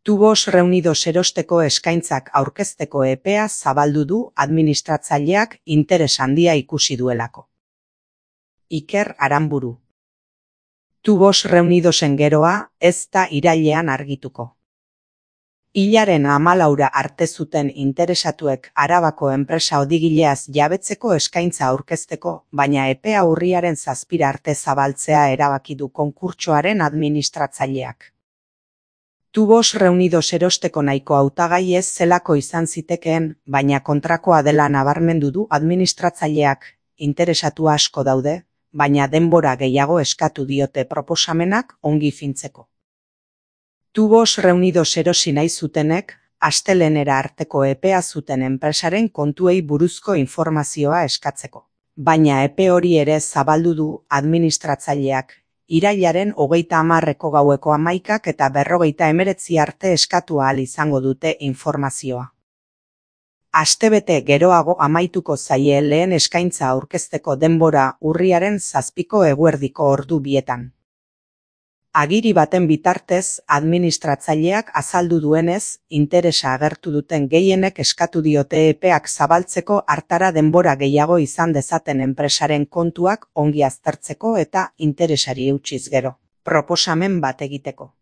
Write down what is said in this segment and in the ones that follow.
Tubos Reunidos erosteko eskaintzak aurkezteko epea zabaldu du administratzaileak interes handia ikusi duelako. Iker Aranburu. Tubos Reunidosen geroa ez da irailean argituko. Hilaren 14 arte zuten interesatuek Arabako enpresa odigileaz jabetzeko eskaintza aurkezteko, baina epea urriaren 7 arte zabaltzea erabaki du konkurtsoaren administratzaileak. Tubos Reunidos erosteko nahiko hautagai ez zelako izan zitekeen, baina kontrakoa dela nabarmendu du administratzaileak. Interesatu asko daude, baina denbora gehiago eskatu diote proposamenak ongi fintzeko. Tubos Reunidos erosi nahi zutenek, astelehenera arteko epea zuten enpresaren kontuei buruzko informazioa eskatzeko. Baina epe hori ere zabaldu du administratzaileak, irailaren 30 gaueko 11 eta 59 arte eskatu ahal izango dute informazioa. Astebete geroago amaituko zaie lehen eskaintza aurkezteko denbora urriaren 7 eguerdiko ordu bietan. Agiri baten bitartez, administratzaileak azaldu duenez, interesa agertu duten gehienek eskatu diote epeak zabaltzeko hartara denbora gehiago izan dezaten enpresaren kontuak ongi aztertzeko eta interesari eutsiz gero, proposamen bat egiteko.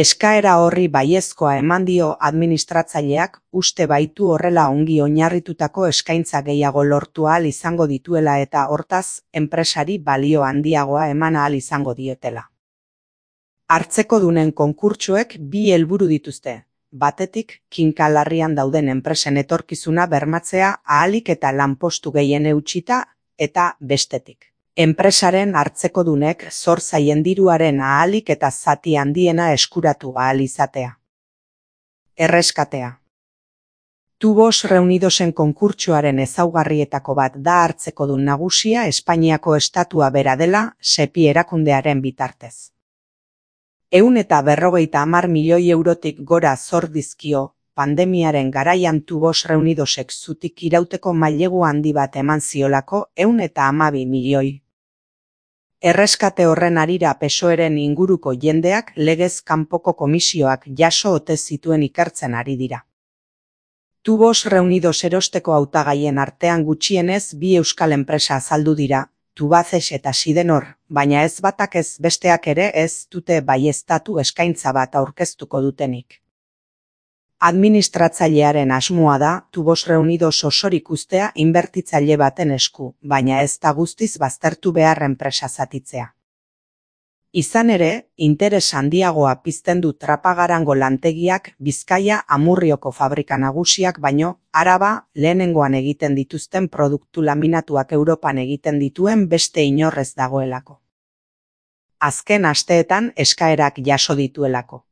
Eskaera horri baiezkoa eman dio administratzaileak, uste baitu horrela ongi oinarritutako eskaintza gehiago lortu ahal izango dituela eta hortaz, enpresari balio handiagoa eman ahal izango diotela. Hartzekodunen konkurtsoek 2 helburu dituzte, batetik, kinka larrian dauden enpresen etorkizuna bermatzea ahalik eta lanpostu gehien eutsita, eta bestetik. Enpresaren hartzekodunek zor zaien diruaren ahalik eta zati handiena eskuratu ahal izatea. Erreskatea. Tubos Reunidosen konkurtsoaren ezaugarrietako bat da hartzekodun nagusia Espainiako estatua bera dela, SEPI erakundearen bitartez. 150 milioi eurotik gora zor dizkio, pandemiaren garaian Tubos Reunidosek zutik irauteko mailegu handi bat eman ziolako 112 milioi. Erreskate horren harira PSOEren inguruko jendeak legez kanpoko komisioak jaso ote zituen ikertzen ari dira. Tubos Reunidos erosteko hautagaien artean gutxienez 2 euskal enpresa azaldu dira, Tubacex eta Sidenor, baina ez batak ez besteak ere ez dute baieztatu eskaintza bat aurkeztuko dutenik. Administratzailearen asmoa da Tubos Reunidos osorik uztea inbertitzaile baten esku, baina ez da guztiz baztertu behar enpresa zatitzea. Izan ere, interes handiagoa pizten du Trapagarango lantegiak Bizkaia Amurrioko fabrika nagusiak baino, Araba lehenengoan egiten dituzten produktu laminatuak Europan egiten dituen beste inorrez dagoelako. Azken asteetan eskaerak jaso dituelako.